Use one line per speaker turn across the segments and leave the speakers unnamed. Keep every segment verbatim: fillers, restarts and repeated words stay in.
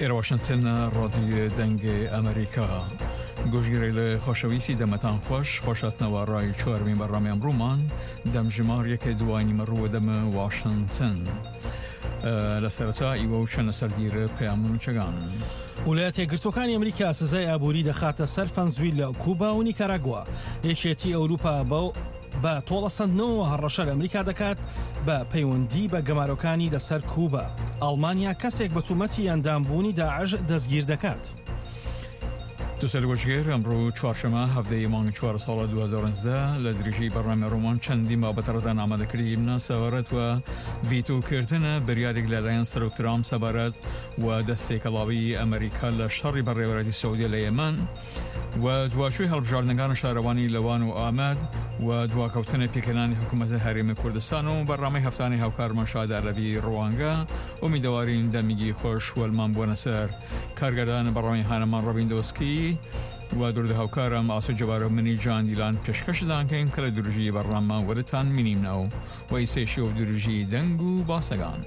ئێرە واشنتن ڕادیۆ دەنگ ئەمریکا. گۆشگیرەیل خۆشەویستی دەمەتان خوەش، خوەشهاتنەوە ڕای چوارمین بەرنامەی ئەمڕوومان دەمژمار یەکێ دوای نیمەڕوو دەمە واشنتن. لە سەرەتا ئیوە و چەنە سەردیرە پەیام و نوچەگان.
ویلایەتە یەکگرتووەکانی ئەمریکا سزای ئابووری دەخاتە سەر فەنزویلا، کوبا و نیکاراگوا. یەکێتی ئەوروپا بەو بە تۆڵەسەندنەوە هەڕەشە لە ئەمریکا دەکات بە پەیوەندی بە گەمارۆکانی لەسەر کوبا. ئەڵمانیا کەسێک بە تومەتی ئەندامبوونی داعش دەستگیر دەکات.
دووسەر گۆشگێر ئەمڕۆ چوارشەمە هەفتەی مانگ چوار ساڵە دوو هەزار و نۆزدە لە درێژەی بەرنامەی ڕۆمان چەندین بابەتەڕدا ئامادەکردیمنە سەبارەت وە ڤیتۆکردنە بریارێک لەلایەن سەرۆک ترامپ سەبارەت وە دەستێکەڵاوی ئەمریکا لە شەڕی بەڕێوەبەرایەتی سعودیە لە یەمەن و دواچووی هەڵبژاردنەکان شارەوانی لەوان و ئامەد و دواکەوتنە پێکهێنانی حکوومەتە هەرێمی کوردستان و بەرنامەی هەفتانەی هاوکارمان شاد عەرەبی ڕوانگە. ئومیدەوارین دەمیگی خۆش وەلمان بووەنە سەر کارگەردان بەڕامی هانەمان ڕەبین دۆسکی و دوردە هاوکارم ئاسۆ جەبارە منی جان دیلان پێشکەشدان کەین کە لە درژی بەرنامە وەرتان مینیمنەوە و ئیسەیشی و درژی دەنگ و باسەگان.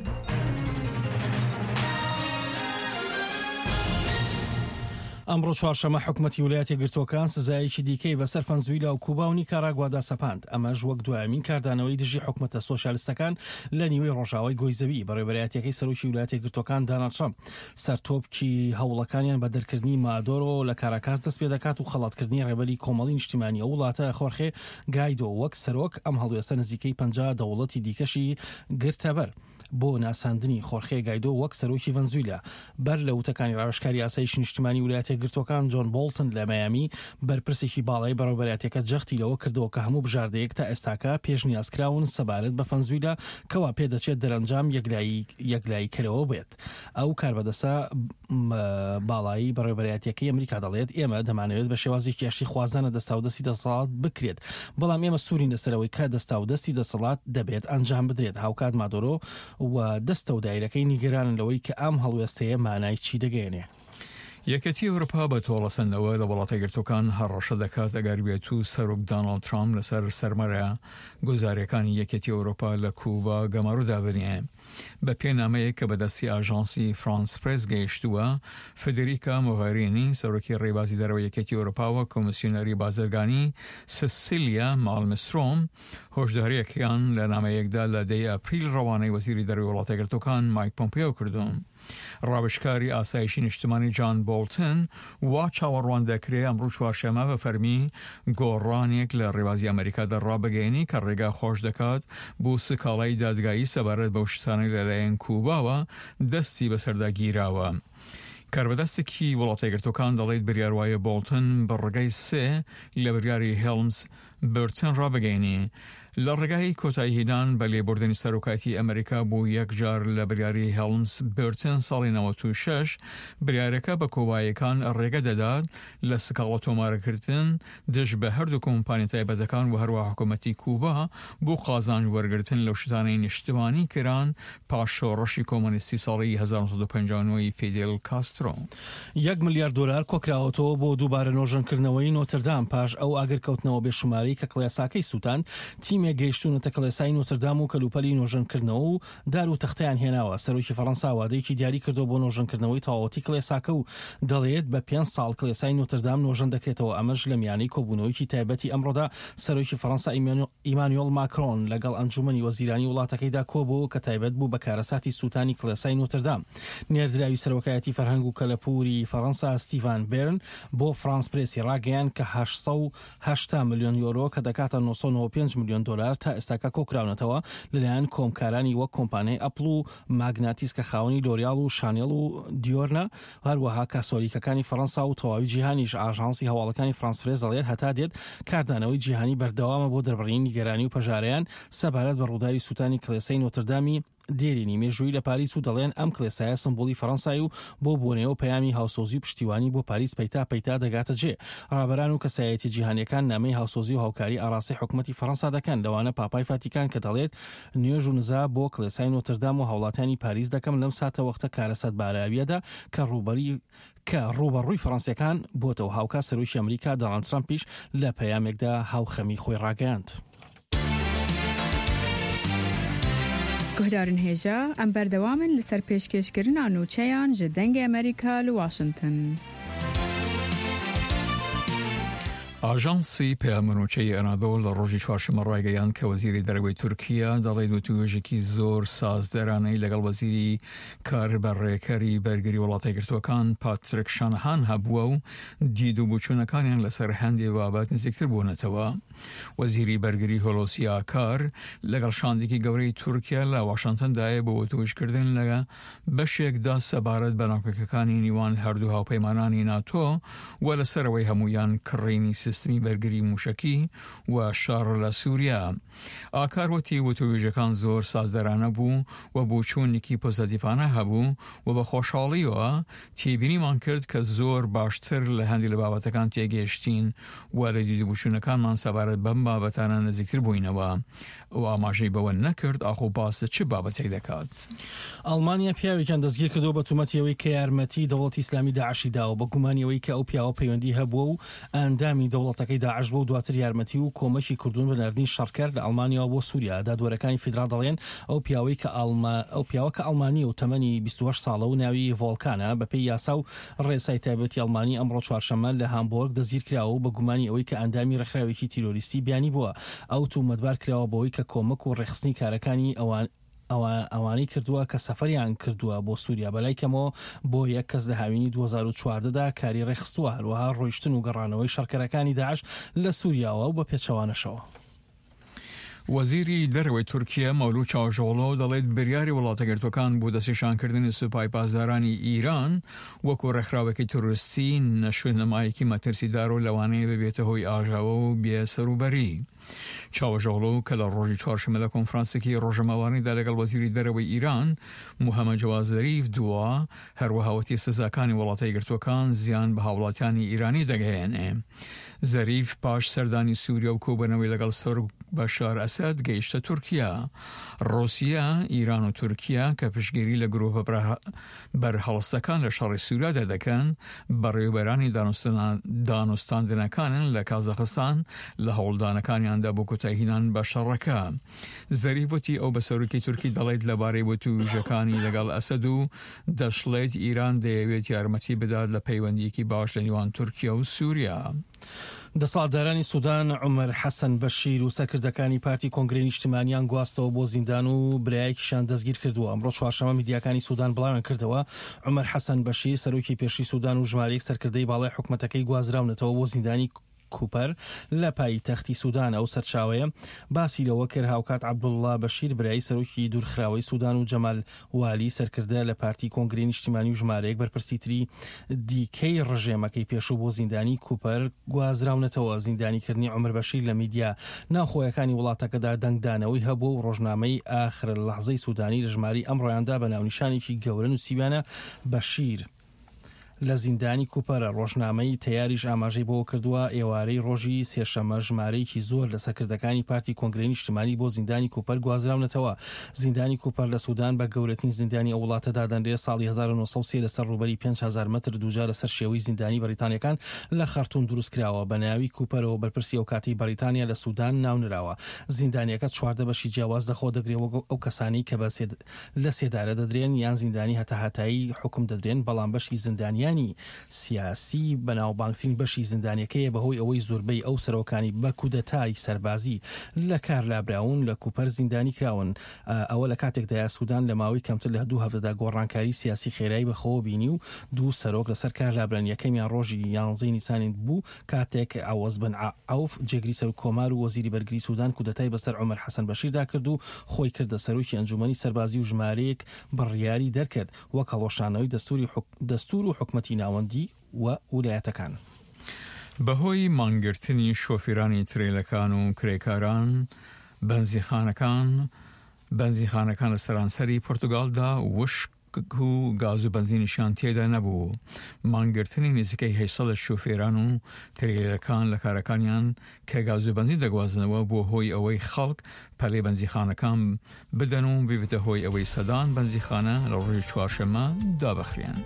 ئەمڕۆ چوارشەمە حکومەتی ویلایەتە یەکگرتووەکان سزایەکی دیکەی بەسەر فەنزویلا و کوبا و نیکاراگوادا سەپاند، ئەمەش وەک دوایەمین کاردانەوەی دژی حکومەتە سۆسیالستەکان لە نیوەی ڕۆژاوای گۆی زەوی. بەڕێوەبەرایەتیەکەی سەرۆکی ویلایەتە یەکگرتووەکان داناڵد ترەمپ سەرتۆپکی هەوڵەکانیان بە دەرکردنی مادۆرۆ لە کاراکاس دەست پێدەکات و خەڵاتکردنی ڕێبەری کۆمەڵی نیشتیمانی ئەو وڵاتە خۆرخێ گایدۆ وەک سەرۆک. ئەم هەڵوێستە نزیکەی پەنجا دەوڵەتی دیکەشی گرتەبەر بۆ ناساندنی خۆرخێ گایدۆ وەک سەرۆکی ڤەنزویلا. بەر لە وتەکانی ڕاوێژکاری ئاسایشی نیشتیمانی ویلایەتە یەکگرتووەکان جۆن بۆڵتن لە میامی، بەرپرسێکی باڵای بەڕێوەبەرایەتیەکە جەختی لەوە کردەوە کە هەموو بژاردەیەک تا ئێستاکە پێشنیازکراون سەبارەت بە فەنزویلا کەوا پێدەچێت دەرەنجام یەکلاییکەرەوە بێت. ئەو کاربەدەستە باڵایی بەڕێوەبەرایەتیەکەی ئەمریکا دەڵێت ئێمە دەمانەوێت بە شێوازێکی ئاشتی خوازانە دەستاودەستی دەسەڵات بکرێت، بەڵام ئێمە سوورین لەسەرەوەی کە دەستاودەستی دەسەڵات دەبێت ئەنجام بدرێت. هاوکات مادۆرۆ و دەستە و دایرەکەی نیگەرانن لەوەی کە ئەم هەڵوێستەیە مانای چی دەگەیەنێ.
یەکێتی ئەوروپا بە تۆڵەسەندنەوە لە وڵاتە یەکگرتووەکان هەڕەشە دەکات ئەگەر بێت و سەرۆک داناڵد ترامپ لەسەر سەرمەرە گوزارەکانی یەکێتی ئەوروپا لە کوبا گەمارۆ دابنێ. بە پێ نامەیەک کە بەدەستی ئاژانسی فرانس پرێس گەیشتووە، فدریکا مۆغێرینی سەرۆکی ڕێبازی دەرەوە یەکێتی ئەوروپاوە کۆمیسیۆنەری بازرگانی سسیلیا مالمسترۆم هۆشداریەکیان لە نامەیەکدا لە دەی ئەپریل ڕەوانەی وەزیری دەرەوەی وڵاتە یەکگرتووەکان مایک پۆمپیۆ کردوون. ڕاوێژکاری ئاسایشی نیشتمانی جان بۆڵتن وا چاوەڕوان دەکرێ ئەمڕۆ چوارشەمە بە فەرمی گۆڕانێک لە ڕێبازی ئەمریکادا ڕابگەیەنی کە ڕێگا خۆش دەکات بۆ سکاڵای دادگایی سەبارەت بەو شتانەی لەلایەن کوباوە دەستی بەسەردا گیراوە. کاربەدەستێکی وڵاتە یەکگرتووەکان دەڵێت بریار وایە بۆڵتن بڕگەی سێ لە بریاری هێڵمز برتن ڕابگەینی لە ڕێگای کۆتاییهێنان بە لێبوردنی سەرۆکایەتی ئەمریکا بۆ یەکجار لە بریاری هێڵمز برتن ساڵی نەوەد و شەش. بریارەکە بە کۆبایەکان ڕێگە دەدات لە سکاڵە تۆمارکردن دژ بە هەردوو کۆمپانیا تایبەتەکان و هەروە حکوومەتی کوبا بۆ قازانج وەرگرتن لەو شتانەی نیشتمانی کران پاش شۆڕشی کۆمۆنیستی ساڵی هەزار و نۆ سەد و پەنجا و نۆ ی فیدێل کاسترۆ.
یەک ملیار دۆلار کۆکراوەتەوە بۆ دووبارە نۆژەنکردنەوەی نۆتردام پاش ئەو ئاگرکەوتنەوە بێشومارەی کە کڵێساکەی سووتاند. تیمێک گەیشتوونەتە کڵێسای نۆتردام و کەلوپەلی نۆژەنکردنەوە و دار و تەختەیان هێناوە. سەرۆکی فەڕەنسا وادەیەکی دیاری کردووە بۆ نۆژەنکردنەوەی تەواوەتی کڵێساکە و دەڵێت بە پێنج ساڵ کڵێسای نۆتردام نۆژەن دەکرێتەوە. ئەمەش لە میانەی کۆبوونەوەیەکی تایبەتی ئەمڕۆدا سەرۆکی فەڕەنسا ئیمانوێڵ ماکرۆن لەگەڵ ئەنجومەنی وەزیرانی وڵاتەکەیدا کۆبووەوە کە تایبەت بوو بە کارەساتی سووتانی کڵێسای نۆتردام. نێردراوی سەرۆکایەتی فەرهەنگ و کەلەپوری فەڕەنسا ستیڤان بێرن بۆ فرانس پرێسی ڕاگەیاند کە هەشت سەد و هەشتا ملیۆن یۆرۆ کە دەکاتە نۆ سەد و نەوەد و پێنج ملیۆن دۆلار تا ئێستاکە کۆکراونەتەوە لەلایەن کۆمکارانی وەک کۆمپانیای ئەپڵ و ماگناتیس کە خاوەنی لۆریاڵ و شانێڵ و دیۆرنە، هەروەها کاسۆلیکەکانی فەڕەنسا و تەواوی جیهانیش. ئاژانسی هەواڵەکانی فرانس پرێس دەڵێت هەتا دێت کاردانەوەی جیهانی بەردەوامە بۆ دەربڕینی نیگەرانی و پەژارەیان سەبارەت بە ڕووداوی سووتانی کڵێسەی نۆتردامی دێرینی مێژوویی لە پاریس و دەڵێن ئەم کڵێسایە سمبوڵی فەڕەنسای و بۆ بۆنەیەوە پەیامی هاوسۆزی و پشتیوانی بۆ پاریس پەیتا پەیتا دەگاتە جێ. ڕابەران و کەسایەتیە جیهانیەکان نامەی هاوسۆزی و هاوکاری ئاڕاستەی حکومەتی فەڕەنسا دەکەن، لەوانە پاپای فاتیکان کە دەڵێت نوێژ و نزا بۆ کڵێسای نۆتردام و هاوڵاتیانی پاریس دەکەم لەم ساتەوەختە کارەساتباراویەدا کە ڕووبەری کە ڕووبەڕووی فەڕەنسیەکان بۆتەوە. هاوکات سەرۆکی ئەمریکا داناڵد ترەمپیش لە پەیامێکدا هاوخەمی خۆی ڕاگەیاند.
Guhdarên hêja em berdewam in li ser pêşkêşkirina nûçeyan ji Dengê Amerîka li Washington.
ئاژانسی پەیامنوچەی ئەنادۆڵ لە ڕۆژی چوارشەممە ڕایگەیاند کە وەزیری دەرەوەی تورکیا دەڵێت وتوێژێکی زۆر سازدەرانەی لەگەڵ وەزیری کاربەڕێکەری بەرگری وڵاتە یەکگرتووەکان پاتریک شانەهان هەبووە و دید و بۆچوونەکانیان لەسەر هەندێ بابەت نزیکتر بوونەتەوە. وەزیری بەرگری هۆلۆسی ئاکار لەگەڵ شاندێکی گەورەی تورکیا لە واشنتندایە بۆ وتوێژکردن لە بەشێکدا سەبارەت بە ناکۆکیەکانی نێوان هەردوو هاوپەیمانانی ناتۆ و لەسەرەوەی هەمویان کڕینی سیستمی بەرگری موشکی و شەڕ لە سووریا. ئاکار وتی وتوێژەکان زۆر سازدەرانە بوو و بۆچوونێکی پۆزەتیڤانە هەبوو و بە خۆشحاڵیەوە تێبینیمان کرد کە زۆر باشتر لە هەندێک لە بابەتەکان تێگەیشتین و لە دید و بۆچوونەکانمان سەبارەت بەم بابەتانە نزیکتر بووینەوە. ئەو ئاماژەی بەوە نەکرد ئاخۆ باس لە چ بابەتێک دەکات.
ئەڵمانیا پیاوێکیان دەستگیر کردەوە بە تومەتی ئەوەی کە یارمەتی دەوڵەتی ئیسلامی داعشی داوە، بە گومانی ئەوەی کە ئەو پیاوە پەیوەندی هەبووە و ئەندامی دەوڵەتەکەی داعش بووە و دواتر یارمەتی و کۆمەکی کردوون بە ناردنی شەڕکەر لە ئەڵمانیاوە بۆ سووریا. دادوەرەکانی فیدرال دەڵێن ئەو پیاوەی کە ئەو پیاوە کە ئەڵمانیە و تەمەنی بیست و هەشت ساڵە و ناوی ڤۆڵکانە، بەپێی یاسا و ڕێسای تایبەتی ئەڵمانی ئەمڕۆ چوارشەممە لە هامبۆرگ دەستگیر کراوە و بە گومانی ئەوەی کە ئەندامی ڕێکخراوێکی تیرۆریستی بیانی بووە. ئەو تومەتبار کراوە بەوەی کە کۆمەک و ڕێکخستنی کارەکانی ئەوان ئەوانەی کردووە کە سەفەریان کردووە بۆ سووریا، بەلای کەمەوە بۆ یەک کەس لە هاوینی دوو هەزار و چواردە دا کاری ڕێکخستووە، هەروەها ڕۆیشتن و گەڕانەوەی شەڕکەرەکانی داعش لە سووریاوە و بە پێچەوانەشەوە.
وەزیری دەرەوەی تورکیا مەولود چاوشئۆغلۆ دەڵێت بریاری وڵاتە یەکگرتووەکان بۆ دەستنیشانکردنی سوپای پاسدارانی ئیران وەکو ڕێکخراوێکی تیرۆریستی نەشونمایەکی مەترسیدار و لەوانەیە ببێتە هۆی ئاژاوە و بێسەروبەری. چاوشئۆغلۆ کە لە ڕۆژی چوارشەممە لە کۆنفرانسێکی ڕۆژنامەوانیدا لەگەڵ وەزیری دەرەوەی ئیران محەممەد جەواد زەریف دوا، هەروەها وتی سزاکانی وڵاتە یەکگرتووەکان زیان بە هاوڵاتیانی ئیرانی دەگەیەنێ. زەریف پاش سەردانی سووریا و کۆبوونەوەی لەگەڵ سەرۆک بەشار ئەسەد گەیشتە تورکیا. ڕوسیا، ئیران و تورکیا کە پشتگیری لە گروپە بەرهەڵستەکان لە شەڕی سووریادا دەکەن، بەڕێوەبەرانی دانوستاندنەکانن لە کازاخستان لە هەوڵدانەکانیاندا بۆ کۆتاییهێنان بە شەڕەکە. زەریف وتی ئەو بە سەرۆکی تورکی دەڵێت لەبارەی وتووژەکانی لەگەڵ ئەسەد و دەشڵێت ئیران دەیەوێت یارمەتی بدات لە پەیوەندیەکی باش لە نێوان تورکیا و سووریا.
دەسەڵاتدارانی سودان عومەر حەسەن بەشیر و سەرکردەکانی پارتی کۆنگرەی نیشتمانیان گواستەوە بۆ زیندان و برایەکیشیان دەستگیر کردووە. ئەمڕۆ چوارشەممە میدیاکانی سودان بڵاویان کردەوە عومەر حەسەن بەشیر سەرۆکی پێشووی سودان و ژمارەیەک سەرکردەی باڵای حکومەتەکەی گوازراونەتەوە بۆ زیندانی کوپەر لە پایتەختی سودان. ئەو سەرچاوەیە باسی لەوە کرد هاوکات عەبدوڵڵا بەشیر برای سەرۆکی دوورخراوەی سودان و جەمال والی سەرکردە لە پارتی کۆنگرەی نیشتیمانی و ژمارەیەک بەرپرسی تری دیکەی ڕژێمەکەی پێشوو بۆ زیندانی کوپەر گوازراونەتەوە. زیندانیکردنی عومەر بەشیر لە میدیا ناوخۆیەکانی وڵاتەکەدا دەنگدانەوەی هەبوو و ڕۆژنامەی ئاخر لەحزەی سودانی لە ژمارەی ئەمڕۆیاندا بە ناونیشانێکی گەورە نووسیویانە بەشیر لە زیندانی کوپەرە. ڕۆژنامەی تەیاریش ئاماژەی بەوە کردووە ئێوارەی ڕۆژی سێشەممە ژمارەیەکی زۆر لە سەرکردەکانی پارتی کۆنگرەی نیشتمانی بۆ زیندانی کوپەر گوازراونەتەوە. زیندانی کوپەر لە سودان بە گەورەترین زیندانی ئەو وڵاتە دادەنرێت. ساڵی هەزار و نۆ سەد و سێ لەسەر ڕووبەری پێنج هەزار مەتر دووجا لەسەر شێوەی زیندانی بەریتانیەکان لە خەرتوم دروست کراوە. بە ناوی کوپەرەوە بەرپرسی ئەو کاتەی بەریتانیا لە سودان ناونراوە. زیندانیەکە چواردە بەشی جیاواز لەخۆ دەگرێت وەک ئەو کەسانەی کە لە سێدارە دەدرێن یان زیندانی هەتاهەتایی حوکم دەدرێن، بەڵام بەشی زیندانیانی سیاسی بەناوبانگترین بەشی زیندانیەکەیە بەهۆی ئەوەی زۆربەی ئەو سەرۆکانی بە کودەتای سەربازی لە کار لابراون لە کوپەر زیندانی کراون. ئەوە لە کاتێکدایە سودان لە ماوەی کەمتر لە دوو هەفتەدا گۆڕانکاری سیاسی خێرایی بەخۆوە بینی و دوو سەرۆک لەسەر کار لابران. یەکەمیان ڕۆژی یانزەی نیسانی بوو کاتێک عەوەز بن عەوف جێگری سەرۆک کۆمار و وەزیری بەرگری سودان کودەتای بەسەر عومەر حەسەن بەشیردا کرد و خۆی کردە سەرۆکی ئەنجومەنی سەربازی و ژمارەیەک بڕیاری دەرکرد وەک هەڵوەشانەوەی دەستور و حکومەتی ناوەندی و ولایەتەکان.
بەهۆی مانگرتنی شۆفیرانی ترێلەکان و کرێکاران بەنزیخانەکان بەنزیخانەکان لە سەرانسەری پورتوگالدا وشک و گاز و بەنزینیشیان تێدا نەبوو. مانگرتنی نزیکەی هەشت سەد شۆفێران و ترێلەکان لە کارەکانیان کە گاز و بەنزین دەگوازنەوە بۆ هۆی ئەوەی خەڵک پەلەی بەنزیخانەکان بدەن و ببێتە هۆی ئەوەی سەدان بەنزیخانە لە ڕۆژی چوارشەممە دابخرێن.